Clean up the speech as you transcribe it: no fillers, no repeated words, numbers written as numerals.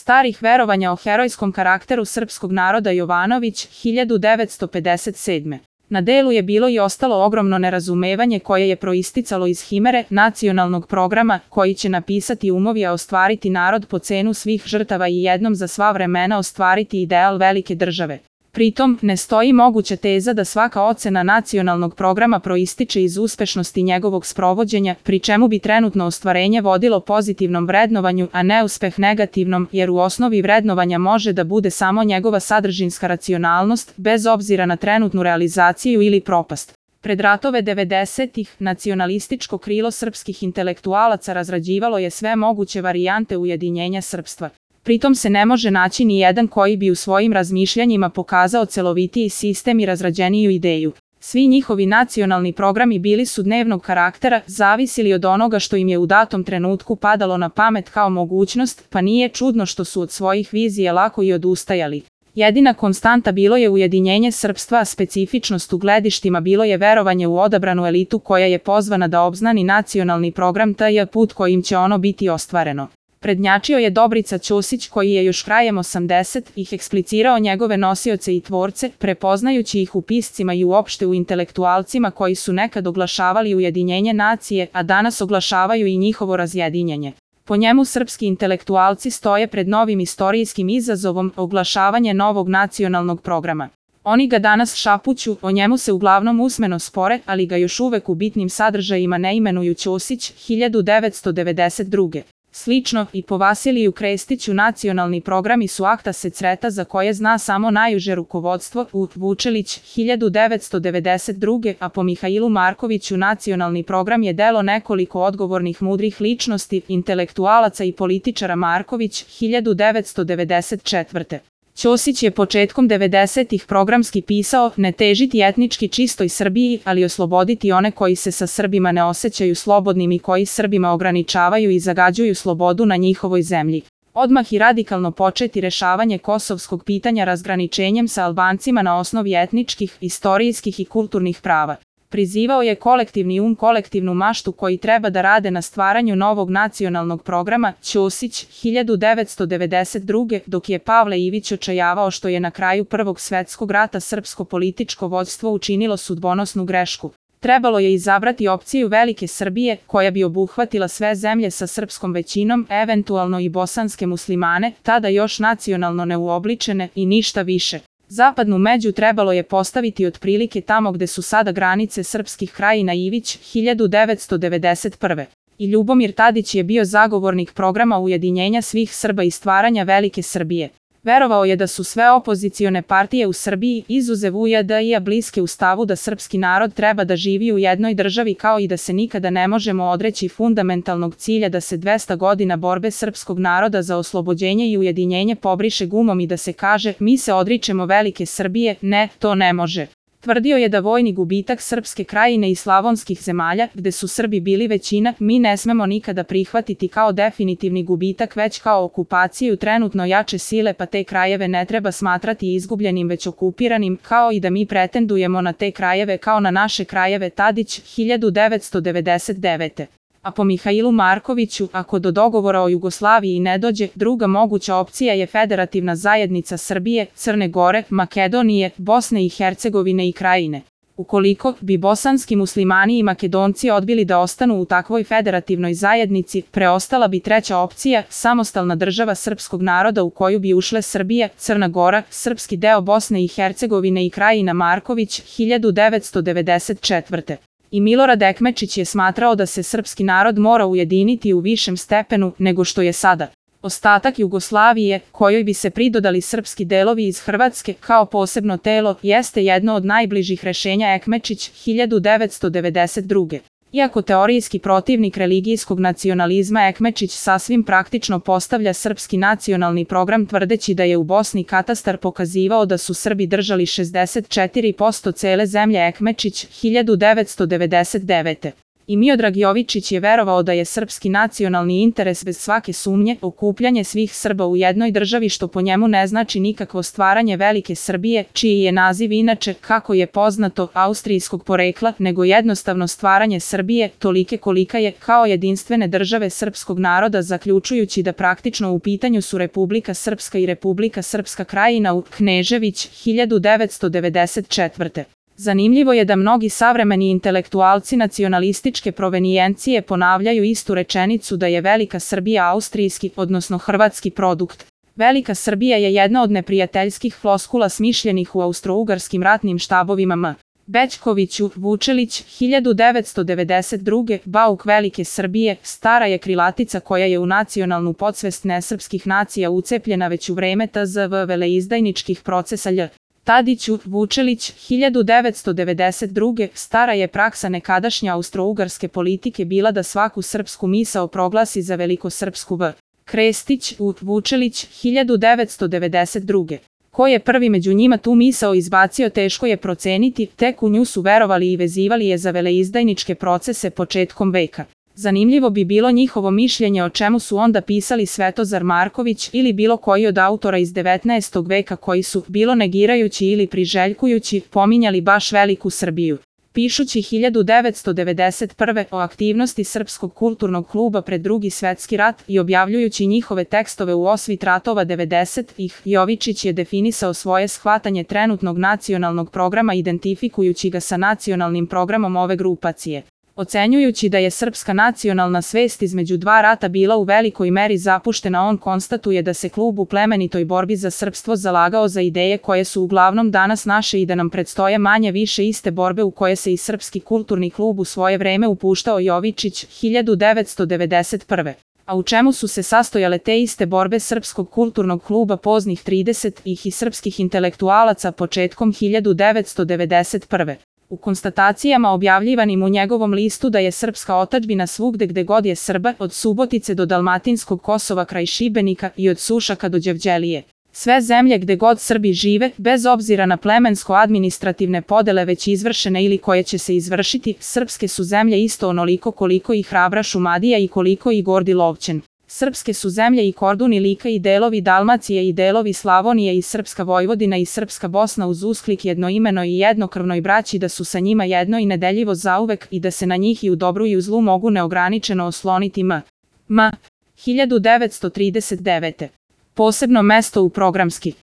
starih verovanja o herojskom karakteru srpskog naroda Jovanović, 1957. Na delu je bilo i ostalo ogromno nerazumevanje koje je proisticalo iz himere nacionalnog programa koji će napisati umovi a ostvariti narod po cenu svih žrtava i jednom za sva vremena ostvariti ideal velike države. Pritom, ne stoji moguća teza da svaka ocena nacionalnog programa proističe iz uspešnosti njegovog sprovođenja, pri čemu bi trenutno ostvarenje vodilo pozitivnom vrednovanju, a neuspeh negativnom, jer u osnovi vrednovanja može da bude samo njegova sadržinska racionalnost, bez obzira na trenutnu realizaciju ili propast. Pred ratove 90-ih, nacionalističko krilo srpskih intelektualaca razrađivalo je sve moguće varijante ujedinjenja srpstva. Pritom se ne može naći ni jedan koji bi u svojim razmišljanjima pokazao celovitiji sistem i razrađeniju ideju. Svi njihovi nacionalni programi bili su dnevnog karaktera, zavisili od onoga što im je u datom trenutku padalo na pamet kao mogućnost, pa nije čudno što su od svojih vizija lako i odustajali. Jedina konstanta bilo je ujedinjenje srpstva, a specifičnost u gledištima bilo je verovanje u odabranu elitu koja je pozvana da obznani nacionalni program taj put kojim će ono biti ostvareno. Prednjačio je Dobrica Ćosić koji je još krajem 80-ih eksplicirao njegove nosioce i tvorce, prepoznajući ih u piscima i uopšte u intelektualcima koji su nekad oglašavali ujedinjenje nacije, a danas oglašavaju i njihovo razjedinjenje. Po njemu srpski intelektualci stoje pred novim istorijskim izazovom oglašavanje novog nacionalnog programa. Oni ga danas šapuću, o njemu se uglavnom usmeno spore, ali ga još uvek u bitnim sadržajima ne imenuju Ćosić, 1992. Slično, i po Vasiliju Krestiću nacionalni programi su akta secreta za koje zna samo najuže rukovodstvo, Vučelić, 1992. A po Mihailu Markoviću nacionalni program je delo nekoliko odgovornih mudrih ličnosti, intelektualaca i političara. Marković, 1994. Ćosić je početkom 90-ih programski pisao ne težiti etnički čistoj Srbiji, ali osloboditi one koji se sa Srbima ne osjećaju slobodnim i koji Srbima ograničavaju i zagađuju slobodu na njihovoj zemlji. Odmah i radikalno početi rešavanje kosovskog pitanja razgraničenjem sa Albancima na osnovi etničkih, istorijskih i kulturnih prava. Prizivao je kolektivni kolektivnu maštu koji treba da rade na stvaranju novog nacionalnog programa. Ćosić, 1992. Dok je Pavle Ivić očajavao što je na kraju Prvog svetskog rata srpsko političko vođstvo učinilo sudbonosnu grešku. Trebalo je izabrati opciju velike Srbije, koja bi obuhvatila sve zemlje sa srpskom većinom, eventualno i bosanske muslimane, tada još nacionalno neuobličene, i ništa više. Zapadnu među trebalo je postaviti otprilike tamo gde su sada granice srpskih krajina. Ivić, 1991. I Ljubomir Tadić je bio zagovornik programa ujedinjenja svih Srba i stvaranja velike Srbije. Verovao je da su sve opozicione partije u Srbiji, izuzev UJDI-a, bliske u stavu da srpski narod treba da živi u jednoj državi, kao i da se nikada ne možemo odreći fundamentalnog cilja da se 200 godina borbe srpskog naroda za oslobođenje i ujedinjenje pobriše gumom i da se kaže mi se odričemo velike Srbije. Ne, to ne može. Tvrdio je da vojni gubitak srpske krajine i slavonskih zemalja, gde su Srbi bili većina, mi ne smemo nikada prihvatiti kao definitivni gubitak već kao okupaciju trenutno jače sile, pa te krajeve ne treba smatrati izgubljenim već okupiranim, kao i da mi pretendujemo na te krajeve kao na naše krajeve. Tadić, 1999. A po Mihailu Markoviću, ako do dogovora o Jugoslaviji ne dođe, druga moguća opcija je federativna zajednica Srbije, Crne Gore, Makedonije, Bosne i Hercegovine i Krajine. Ukoliko bi bosanski muslimani i Makedonci odbili da ostanu u takvoj federativnoj zajednici, preostala bi treća opcija, samostalna država srpskog naroda u koju bi ušle Srbija, Crna Gora, srpski deo Bosne i Hercegovine i Krajina. Marković, 1994. I Milorad Ekmečić je smatrao da se srpski narod mora ujediniti u višem stepenu nego što je sada. Ostatak Jugoslavije, kojoj bi se pridodali srpski delovi iz Hrvatske kao posebno telo, jeste jedno od najbližih rešenja. Ekmečić, 1992. Iako teorijski protivnik religijskog nacionalizma, Ekmečić sasvim praktično postavlja srpski nacionalni program tvrdeći da je u Bosni katastar pokazivao da su Srbi držali 64% cele zemlje. Ekmečić, 1999. I Miodrag Jovičić je verovao da je srpski nacionalni interes bez svake sumnje okupljanje svih Srba u jednoj državi, što po njemu ne znači nikakvo stvaranje velike Srbije, čiji je naziv inače, kako je poznato, austrijskog porekla, nego jednostavno stvaranje Srbije, tolike kolika je, kao jedinstvene države srpskog naroda, zaključujući da praktično u pitanju su Republika Srpska i Republika Srpska Krajina u Knežević, 1994. Zanimljivo je da mnogi savremeni intelektualci nacionalističke provenijencije ponavljaju istu rečenicu da je Velika Srbija austrijski, odnosno hrvatski produkt. Velika Srbija je jedna od neprijateljskih floskula smišljenih u austrougarskim ratnim štabovima M. Bećkoviću, Vučelić, 1992. Bauk Velike Srbije, stara je krilatica koja je u nacionalnu podsvest nesrpskih nacija ucepljena već u vreme TZV veleizdajničkih procesa Lj. Tadiću, Vučelić, 1992. Stara je praksa nekadašnje austrougarske politike bila da svaku srpsku misao proglasi za velikosrpsku v. Krestić, Vučelić, 1992. Ko je prvi među njima tu misao izbacio teško je proceniti, tek u nju su verovali i vezivali je za veleizdajničke procese početkom veka. Zanimljivo bi bilo njihovo mišljenje o čemu su onda pisali Svetozar Marković ili bilo koji od autora iz 19. veka koji su, bilo negirajući ili priželjkujući, pominjali baš Veliku Srbiju. Pišući 1991. o aktivnosti Srpskog kulturnog kluba pred Drugi svetski rat i objavljujući njihove tekstove u osvit ratova 90-ih, Jovičić je definisao svoje shvatanje trenutnog nacionalnog programa identifikujući ga sa nacionalnim programom ove grupacije. Ocenjujući da je srpska nacionalna svest između dva rata bila u velikoj meri zapuštena, on konstatuje da se klub u plemenitoj borbi za srpstvo zalagao za ideje koje su uglavnom danas naše i da nam predstoje manje više iste borbe u koje se i Srpski kulturni klub u svoje vreme upuštao. Jovičić, 1991. A u čemu su se sastojale te iste borbe Srpskog kulturnog kluba poznih 30-ih i srpskih intelektualaca početkom 1991. U konstatacijama objavljivanim u njegovom listu da je srpska otadžbina svugde gde god je Srba, od Subotice do Dalmatinskog Kosova kraj Šibenika i od Sušaka do Đevđelije. Sve zemlje gde god Srbi žive, bez obzira na plemensko-administrativne podele već izvršene ili koje će se izvršiti, srpske su zemlje isto onoliko koliko i hrabra Šumadija i koliko i gordi Lovćen. Srpske su zemlje i Kordun i Lika i delovi Dalmacije i delovi Slavonije i Srpska Vojvodina i Srpska Bosna uz usklik jednoimenoj i jednokrvnoj braći da su sa njima jedno i nedeljivo zauvek i da se na njih i u dobru i u zlu mogu neograničeno osloniti. M. 1939. Posebno mesto u programski